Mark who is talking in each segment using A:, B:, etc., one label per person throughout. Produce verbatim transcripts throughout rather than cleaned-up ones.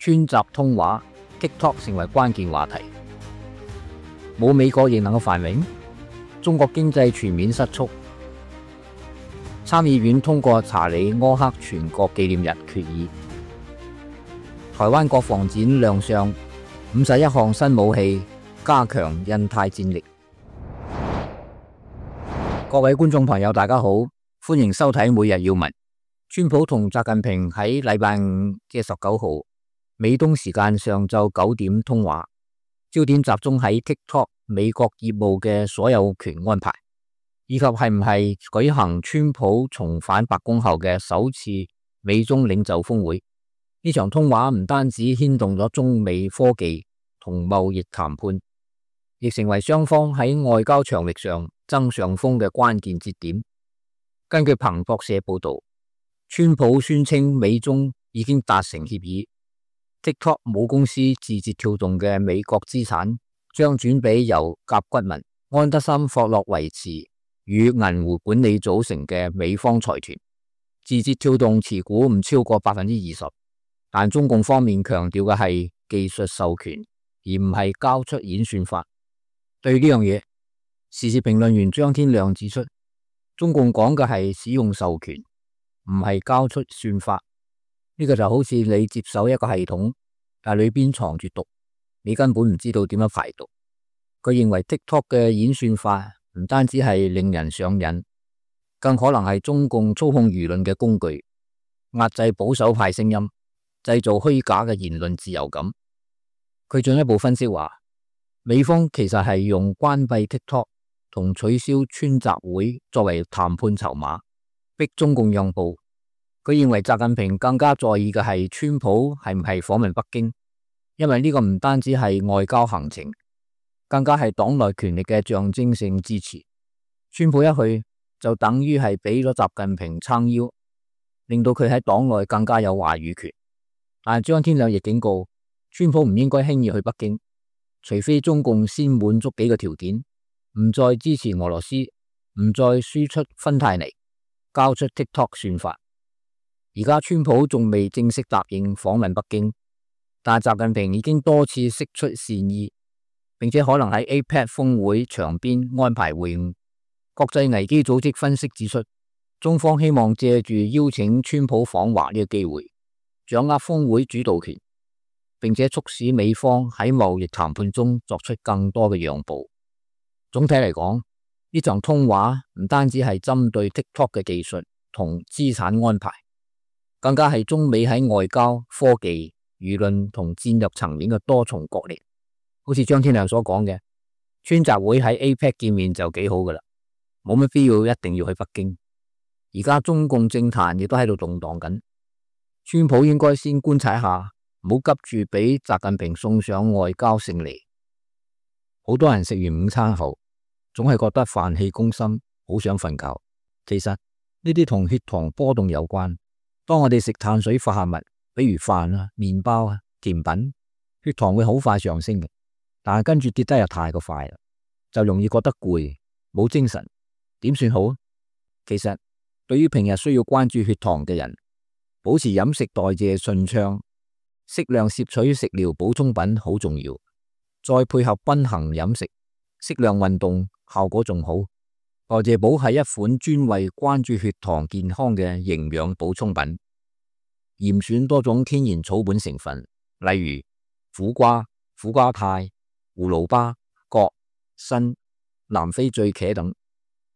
A: 川習通話 TikTok 成為關鍵話題。冇美國亦能夠繁榮，中國經濟全面失速。參議院通過查理柯克全國紀念日決議。台灣國防展亮相五十一項新武器，加強印太戰力。各位觀眾朋友，大家好，歡迎收睇每日要聞。川普同習近平喺禮拜五即係十九號美東時間上晝九點通話，焦點集中喺 TikTok 美國業務嘅所有權安排，以及係唔係舉行川普重返白宮後嘅首次美中領袖峰會。呢場通話唔單止牽動咗中美科技同貿易談判，亦成為雙方喺外交場域上爭上風嘅關鍵節點。根據彭博社報道，川普宣稱美中已經達成協議， TikTok 母公司字節跳動嘅美國資產將轉俾由甲骨文、安德森霍洛維茨與銀湖管理組成嘅美方財團。字節跳動持股唔超過百分之二十，但中共方面強調嘅係技術授權，而唔係交出演算法。對呢樣嘢，時事評論員張天亮指出，中共講嘅係使用授權，唔係交出算法。呢個就好似你接手一個系統，但裏邊藏住毒，你根本唔知道點樣排毒。佢認為 TikTok 嘅演算法唔單止係令人上癮，更可能係中共操控輿論嘅工具，壓制保守派聲音，製造虛假嘅言論自由感。佢進一步分析話，美方其實係用關閉 TikTok 同取消川習會作為談判籌碼，逼中共讓步。佢認為習近平更加在意嘅係川普係唔係訪問北京，因為呢個唔單止係外交行程，更加係黨內權力嘅象徵性支持。川普一去就等於係俾咗習近平撐腰，令到佢喺黨內更加有話語權。但係張天亮亦警告，川普唔應該輕易去北京，除非中共先滿足幾個條件，唔再支持俄羅斯，唔再輸出芬太尼，交出 TikTok 算法。而家川普仲未正式答應訪問北京，但習近平已經多次釋出善意，並且可能喺 A P E C 峰會場邊安排會晤。國際危機組織分析指出，中方希望借住邀請川普訪華呢個機會，掌握峰會主導權，並且促使美方喺貿易談判中作出更多嘅讓步。總體嚟講，呢場通話唔單止係針對 TikTok 嘅技術同資產安排，更加係中美喺外交、科技、輿論同戰略層面嘅多重角力。好似張天亮所講嘅，川習會喺 A P E C 見面就幾好噶啦，冇乜必要一定要去北京。而家中共政壇亦都喺度動盪緊，川普應該先觀察一下，唔好急住俾習近平送上外交勝利。好多人食完午餐後，總係覺得飯氣攻心，好想瞓覺。其實呢啲同血糖波動有關。當我哋食碳水化合物，比如飯啊、麵包啊、甜品，血糖會好快上升嘅，但係跟住跌得又太過快啦，就容易覺得攰，冇精神。點算好？其實對於平日需要關注血糖嘅人，保持飲食代謝順暢，適量攝取食療補充品好重要，再配合均衡飲食、適量運動，效果仲好。代謝寶係一款專為關注血糖健康嘅營養補充品，嚴選多種天然草本成分，例如苦瓜、苦瓜肽、葫蘆巴、葛、參、南非醉茄等，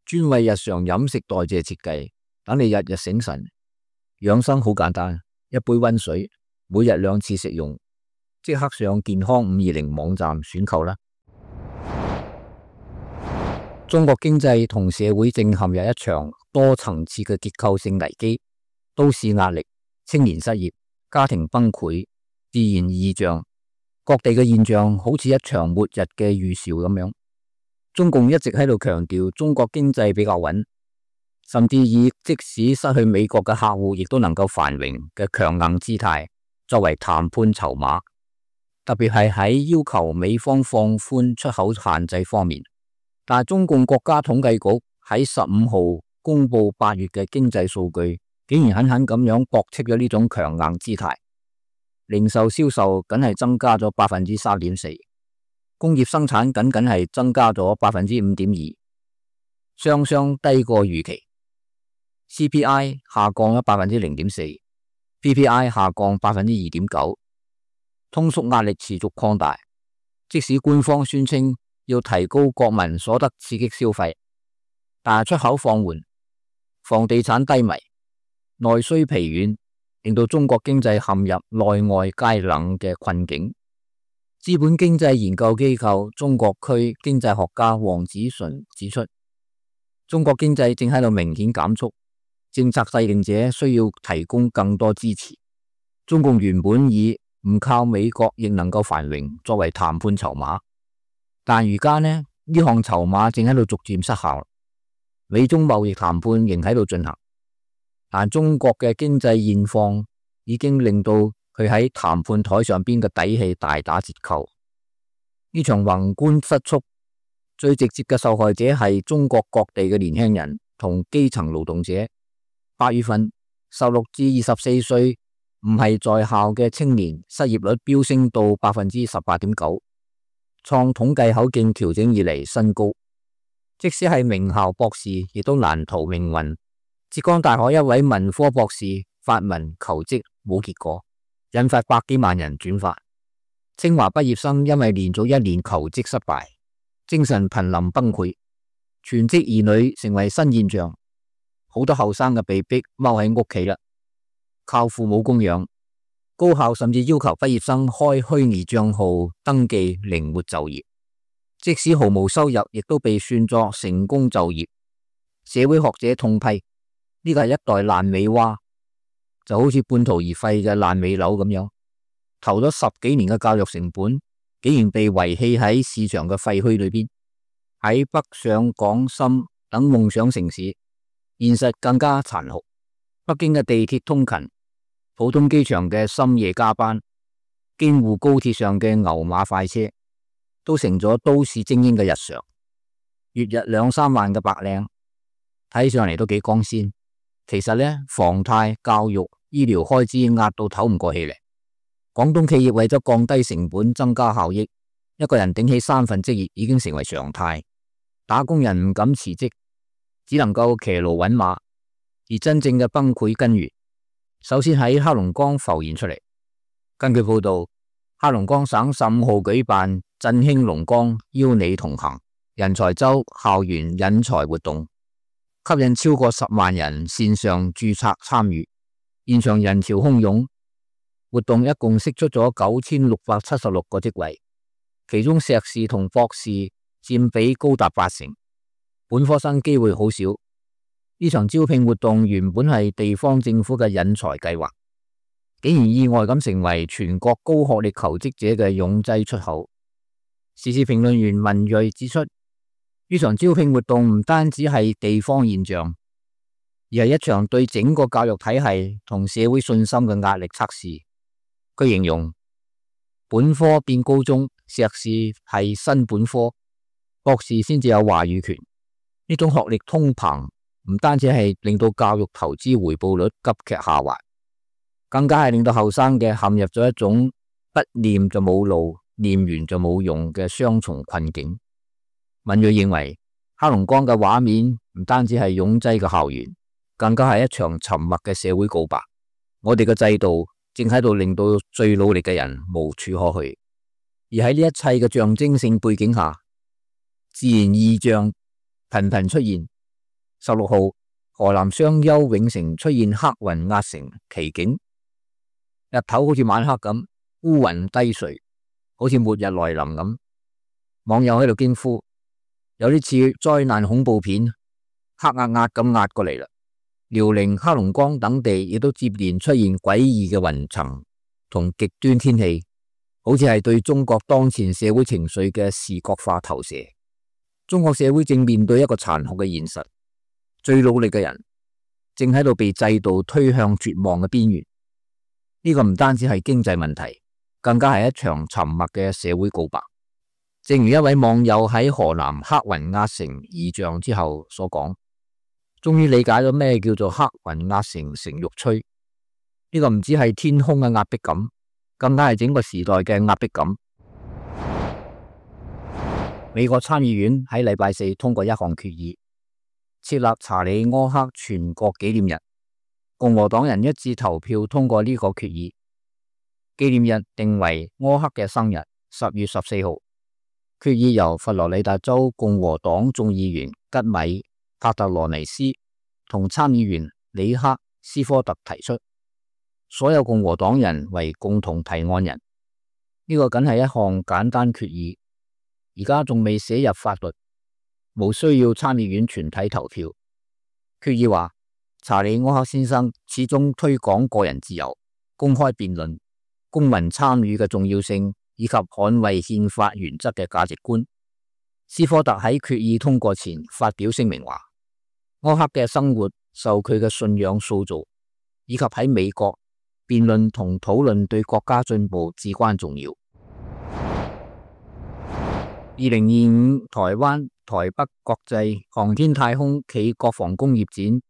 A: 專為日常飲食代謝設計，等你日日醒神。養生好簡單，一杯溫水，每日兩次食用，即刻上健康五二零網站選購啦。中國經濟同社會正陷入一場多層次嘅結構性危機，都市壓力、青年失業、家庭崩潰、自然異象，各地嘅現象好似一場末日嘅預兆咁樣。中共一直喺度強調中國經濟比較穩，甚至以即使失去美國嘅客戶亦都能夠繁榮嘅強硬姿態作為談判籌碼，特別係喺要求美方放寬出口限制方面。但係中共國家統計局喺十五號公布八月嘅經濟數據，竟然狠狠咁樣駁斥咗呢種強硬姿態。零售銷售僅係增加咗百分之三點四，工業生產僅僅係增加咗百分之五點二，雙雙低過預期。C P I 下降咗百分之零點四， P P I 下降百分之二點九，通縮壓力持續擴大。即使官方宣稱要提高國民所得刺激消費，但係出口放緩，房地產低迷，內需疲軟，令到中國經濟陷入內外皆冷嘅困境。資本經濟研究機構中國區經濟學家黃子純指出，中國經濟正喺度明顯減速，政策制定者需要提供更多支持。中共原本以唔靠美國亦能夠繁榮作為談判籌碼，但而家呢，呢項籌碼正喺度逐漸失效。美中貿易談判仍喺度進行，但中國嘅經濟現況已經令到佢喺談判台上邊嘅底氣大打折扣。呢場宏觀失速最直接嘅受害者係中國各地嘅年輕人同基層勞動者。八月份十六至二十四歲唔係在校嘅青年失業率飆升到百分之十八點九，創統計口徑調整以嚟新高。即使係名校博士，亦都難逃命運。浙江大學一位文科博士發文求職冇結果，引發百幾萬人轉發。清華畢業生因為連續一年求職失敗，精神瀕臨崩潰，全職兒女成為新現象。好多後生嘅被逼踎喺屋企啦，靠父母供養。高校甚至要求畢業生開虛擬賬號登記靈活就業，即使毫無收入，亦都被算作成功就業。社會學者痛批呢個係一代爛尾蛙，就好似半途而廢嘅爛尾樓咁樣，投咗十幾年嘅教育成本，竟然被遺棄喺市場嘅廢墟裏邊。喺北上廣深等夢想城市，現實更加殘酷。北京嘅地鐵通勤，浦東機場嘅深夜加班，京滬高鐵上嘅牛馬快車，都成咗都市精英嘅日常。月入兩三萬嘅白領，睇上嚟都幾光鮮。其實呢，房貸、教育、醫療開支壓到唞唔過氣嚟。廣東企業為咗降低成本、增加效益，一個人頂起三份職業已經成為常態。打工人唔敢辭職，只能夠騎驢揾馬。而真正嘅崩潰根源，首先喺黑龍江浮現出嚟。根據報道，黑龍江省十五號舉辦振興龍江邀你同行人才周校園引才活動，吸引超過十萬人線上註冊參與，現場人潮洶湧。活動一共釋出咗九千六百七十六個職位，其中碩士同博士佔比高達八成，本科生機會好少。呢場招聘活動原本係地方政府嘅引才計劃，竟然意外咁成為全國高學歷求職者嘅擁擠出口。時事評論員文銳指出，呢場招聘活動唔單止係地方現象，而係一場對整個教育體系同社會信心嘅壓力測試。佢形容本科變高中，碩士係新本科，博士先至有話語權。呢種學歷通膨唔單止係令到教育投資回報率急劇下滑，更加係令到後生嘅陷入咗一種不念就冇路，念完就冇用嘅雙重困境。文銳認為，黑龍江嘅畫面唔單止係擁擠嘅校園，更加係一場沉默嘅社會告白。我哋嘅制度正喺度令到最努力嘅人無處可去，而喺呢一切嘅象徵性背景下，自然異象頻頻出現。十六號，河南商丘永城出現黑雲壓城奇景，日頭好似晚黑咁，烏雲低垂，好似末日來臨咁。網友喺度驚呼，有啲似災難恐怖片，黑壓壓咁壓過嚟啦。遼寧、黑龍江等地亦都接連出現詭異嘅雲層同極端天氣，好似係對中國當前社會情緒嘅視覺化投射。中國社會正面對一個殘酷嘅現實，最努力嘅人正喺度被制度推向絕望嘅邊緣。呢個唔單止係經濟問題，更加係一場沉默嘅社會告白。正如一位網友喺河南黑雲壓城異象之後所講，終於理解咗咩叫做黑雲壓城城欲摧。呢個唔止係天空嘅壓迫感，更加係整個時代嘅壓迫感。美國參議院喺禮拜四通過一項決議，設立查理·柯克全國紀念日。共和黨人一致投票通過呢個決議，紀念日定為柯克嘅生日，十月十四號。決議由佛羅里達州共和黨眾議員吉米·帕特羅尼斯同參議員里克·斯科特提出，所有共和黨人為共同提案人。呢個僅係一項簡單決議，而家仲未寫入法律，無需要參議院全體投票。決議話，查理·柯克先生始終推廣個人自由、公開辯論、公民參與嘅重要性，以及捍衛憲法原則嘅價值觀。斯科特喺決議通過前發表聲明話，柯克嘅生活受佢嘅信仰塑造，以及喺美國辯論同討論對國家進步至關重要。二零二五台灣台北國際航天太空暨國防工業展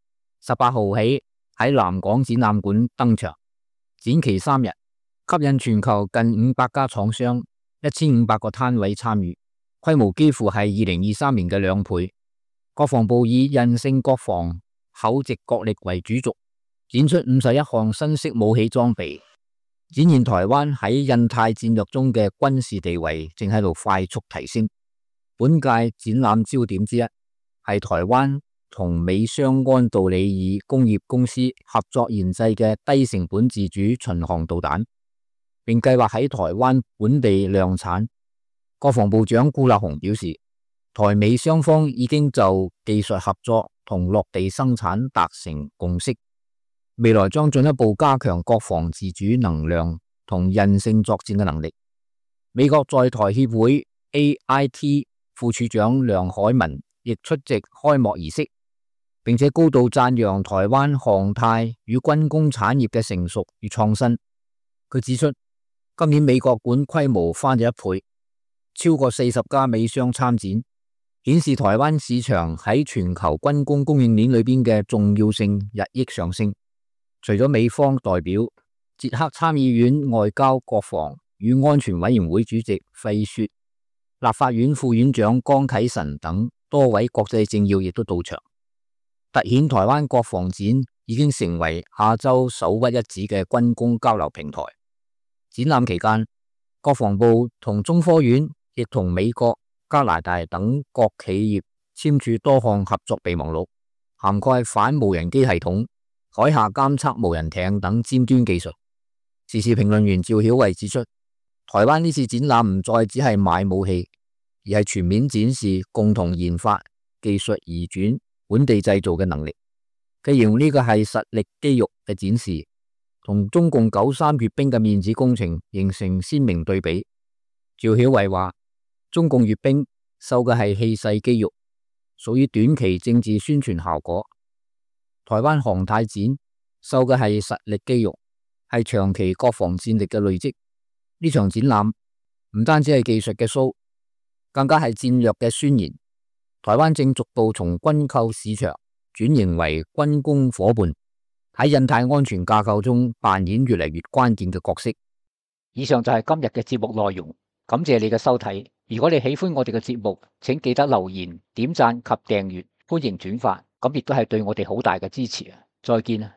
A: 十八號起喺南港展覽館登場，展期三日，吸引全球近五百家廠商、一千五百個攤位參與，規模幾乎係二零二三年嘅兩倍。國防部以韌性國防、厚直國力為主軸，展出五十一項新式武器裝備，展現台灣喺印太戰略中嘅軍事地位正喺度快速提升。本屆展覽焦點之一係台灣同美商安道里爾工業公司合作研製嘅低成本自主巡航導彈，並計劃喺台灣本地量產。國防部長顧立雄表示，台美雙方已經就技術合作同落地生產達成共識，未來將進一步加強國防自主能量同韌性作戰嘅能力。美國在台協會 A I T 副處長梁海文亦出席開幕儀式，並且高度讚揚台灣航太與軍工產業嘅成熟與創新。佢指出，今年美國館規模翻咗一倍，超過四十家美商參展，顯示台灣市場喺全球軍工供應鏈裏邊嘅重要性日益上升。除咗美方代表，捷克參議院外交、國防與安全委員會主席費雪、立法院副院長江啟臣等多位國際政要亦都到場，凸顯台灣國防展已經成為亞洲首屈一指嘅軍工交流平台。展覽期間，國防部同中科院亦同美國、加拿大等各企業簽署多項合作備忘錄，涵蓋反無人機系統、海下監測無人艇等尖端技術。時事評論員趙曉慧指出，台灣呢次展覽唔再只係買武器，而係全面展示共同研發、技術移轉、本地製造嘅能力。佢形容呢個係實力肌肉嘅展示，同中共九三閱兵嘅面子工程形成鮮明對比。趙曉慧話，中共閱兵秀嘅係氣勢肌肉，屬於短期政治宣傳效果；台灣航太展秀嘅係實力肌肉，係長期國防戰力嘅累積。呢場展覽唔單止係技術嘅 show， 更加係戰略嘅宣言。台灣正逐步從軍購市場轉型為軍工夥伴，喺印太安全架構中扮演越嚟越關鍵嘅角色。以上就係今日嘅節目內容，感謝你嘅收睇。如果你喜歡我哋嘅節目，請記得留言、點讚及訂閱，歡迎轉發，咁亦都係對我哋好大嘅支持啊！再見啊！